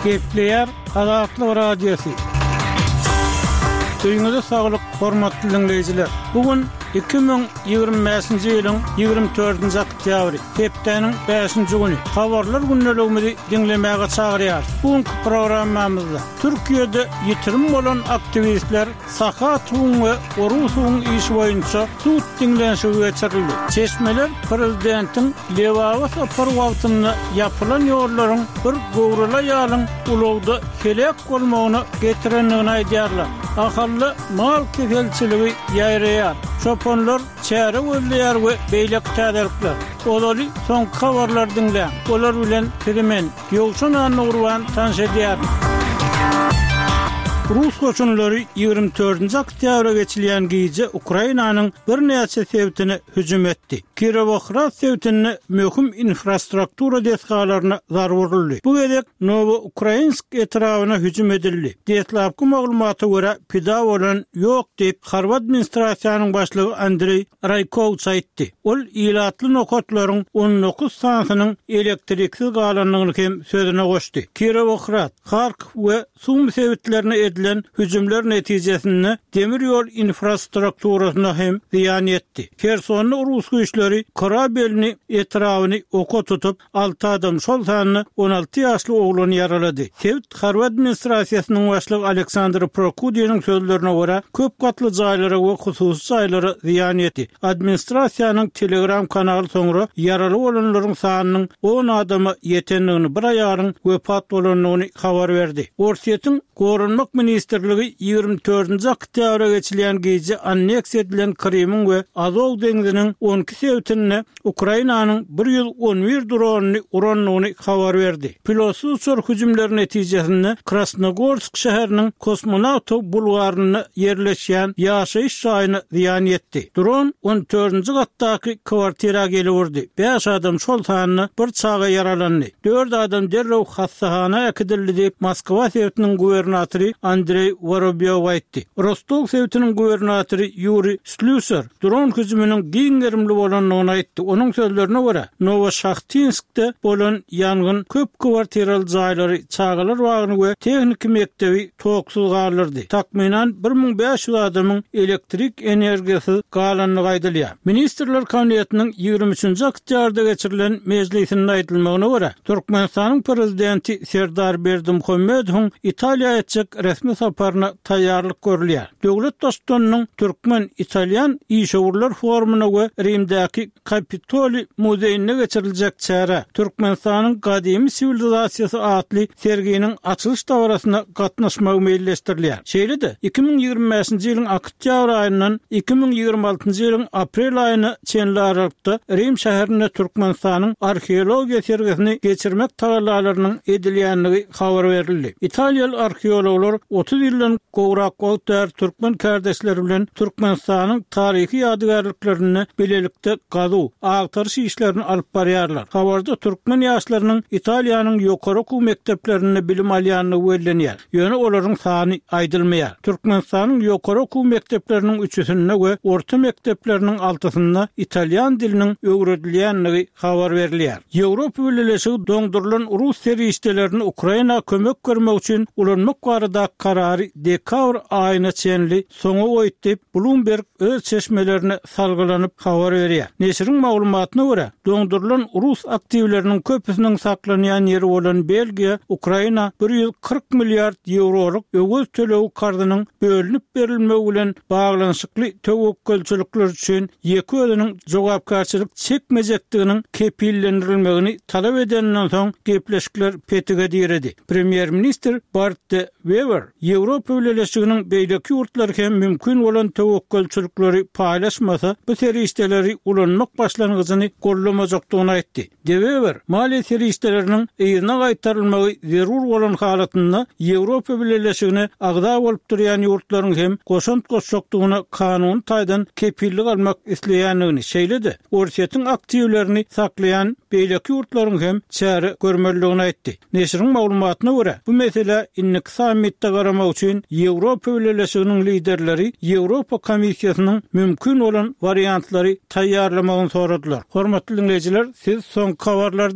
Gepleýär Azatlyk Radiosy. Öýüňize saglyk, hormatly diňleýjiler! Bu gün 2025-nji ýylyň 24-nji oktýabry, hepdäniň bäşinji güni. Habarlar gündeligimizi diňlemäge çagyrýarys. Bu günki programmamyzda Türkiýede ýitirim bolan aktiwistler Sahatowyň we Orusowyň işi boýunça sud diňlenişigi geçirildi. Çeşmeler prezidentiň Lebaba sapary wagtynda ýapylan ýollaryň bir göwreli aýalyň ulagda heläk bolmagyna getirendigini aýdýarlar. Ahalda mal keselçiligi ýaýraýar. Çopanlar çäre gözleýär we beýleki täzelikler. Ozaly soňky habarlary diňläň. Olar bilen sizi men, Ýowşan Annagurban tanyş edýärin. Rus goşunlary 24-nji oktýabra geçilýän gije Ukrainanyň birnäçe sebitine hüjüm etdi. Kirowohrad sebitinde möhüm infrastruktura desgalaryna zarba uruldy. Bu gezek Nowoukrainsk etrabyna hüjüm edildi. Deslapky maglumata görä, pida bolan ýok diýip, harby administrasiýanyň başlygy Andreý Raýkowç aýtdy. Ol ilatly nokatlaryň 19 sanysynyň elektriksiz galandygyny hem sözüne goşdy. Kirowohrad, Harkow we Sumy sebitlerine edilen hüjümler netijesinde demir ýol infrastrukturasyna hem zyýan ýetdi. Hersonda rus güýçleri Korabelny etrabyny oka tutup, Alty adam, şol sanda 16 ýaşly oglany ýaralady. Sebit harby administrasiýasynyň başlygy Aleksandr Prokudiniň sözlerine görä, köp gatly jaýlara we hususy jaýlara zyýan ýetdi. Administrasiýanyň Telegram kanaly soňra ýaraly bolanlaryň sanynyň on adama ýetendigini, bir aýalyň wepat bolandygyny habar berdi. Orsýetiň Goranmak ministrligi 24-nji oktýabra geçilýän gije anneksiýa edilen Krymyň we Azow deňziniň 12 sebitinde Ukrainanyň 111 dronyny urandygyny habar berdi. Pilotsyz uçar hüjümleri netijesinde Krasnogorsk şäheriniň Kosmonawtow bulwarynda ýerleşýän ýaşaýyş jaýyna zyýan ýetdi. Dron on dördünji gatdaky kwartira gelip urdy. Bäş adam, şol sanda bir çaga ýaralandy. Dört adam derrew hassahana äkidildi diýip, Moskwa sebitiniň gubernatory Andreý Worobýow aýtdy. Rostow sebitiniň gubernatory Ýuriý Slýusar dron hüjüminiň giň gerimli bolandygyny aýtdy. Onuň sözlerine görä, Nowoşahtinskde bolan ýangyn köp kwartiraly jaýlary, çagalar bagyny we tehniki mekdebi toksuz galdyrdy. Takmynan 1500 adamyň elektrik energiýasyz galandygy aýdylýar. Ministrler Kabinetiniň 23-nji oktýabrda geçirilen mejlisinde aýdylmagyna görä, Türkmenistanyň Prezidenti Serdar Berdimuhamedowyň Italiýa etjek resmi saparyna taýýarlyk görülýär. Döwlet Baştutanynyň türkmen-italýan işewürler forumyna we Rimdäki Kapitoliý muzeýinde geçiriljek çärä, Türkmenistanyň gadymy siwilizasiýasy atly serginiň açylyş dabarasyna gatnaşmagy meýilleşdirilýär. Şeýle-de, 2025-nji ýylyň oktýabr aýyndan 2026-njy ýylyň aprel aýyna çenli aralykda Rim şäherinde Türkmenistanyň arheologiýa sergisini geçirmek tagallalarynyň edilýändigi habar berildi. Italiýaly arheologlar 30 ýyldan gowrak wagt bäri türkmen kärdeşleri bilen Türkmenistanyň taryhy ýadygärliklerinde bilelikde gazuw, agtaryş işlerini alyp barýarlar. Habarda türkmen ýaşlarynyň Italiýanyň ýokary okuw mekdeplerinde bilim alýandygy bellenýär. Ýöne olaryň sany aýdylmaýar. Türkmenistanyň ýokary okuw mekdepleriniň üçüsinde we orta mekdepleriniň altysynda italýan diliniň öwredilýändigi habar berilýär. Ýewropa Bileleşigi doňdurylan rus serişdelerini Ukraina kömek bermek üçin ulanmak baradaky karary dekabr aýyna çenli soňa goýdy diýip, Bloomberg öz çeşmelerine salgylanyp habar berýär. Neşiriň maglumatyna görä, doňdurylan rus aktiwleriniň köpüsiniň saklanýan ýeri bolan Belgiýa Ukraina 140 milliard ýewrolyk öwez tölegi karzynyň bölünip berilmegi bilen baglanyşykly töwekgelçilikler üçin ýeke özüniň jogapkärçilik çekmejekdiginiň kepillendirilmegini talap edeninden soň gepleşikler petige diredi. Premýer-ministr Bart De Wever Ýewropa Bileleşiginiň beýleki ýurtlary hem mümkin bolan töwekgelçilikleri paýlaşmasa, bu serişdeleri ulanmak başlangyjyny goldamajakdygyny aýtdy. De Wever, maliýe serişdeleriniň yzyna gaýtarylmagy zerur bolan halatynda Ýewropa Bileleşigine agza bolup durýan ýurtlaryň hem goşant goşjakdygyna kanuny taýdan kepillik almak isleýändigini, şeýle-de Orsýetiň aktiwlerini saklaýan beýleki ýurtlaryň hem çäre görmelidigini aýtdy. Neşiriň maglumatyna görä, bu meselä indiki sammitde garamak üçin Ýewropa Bileleşiginiň liderleri Ýewropa Komissiýasynyň mümkin bolan wariantlary taýýarlamagyny soradylar. Hormatly diňleýjiler, siz soňky habarlary diňlediňiz.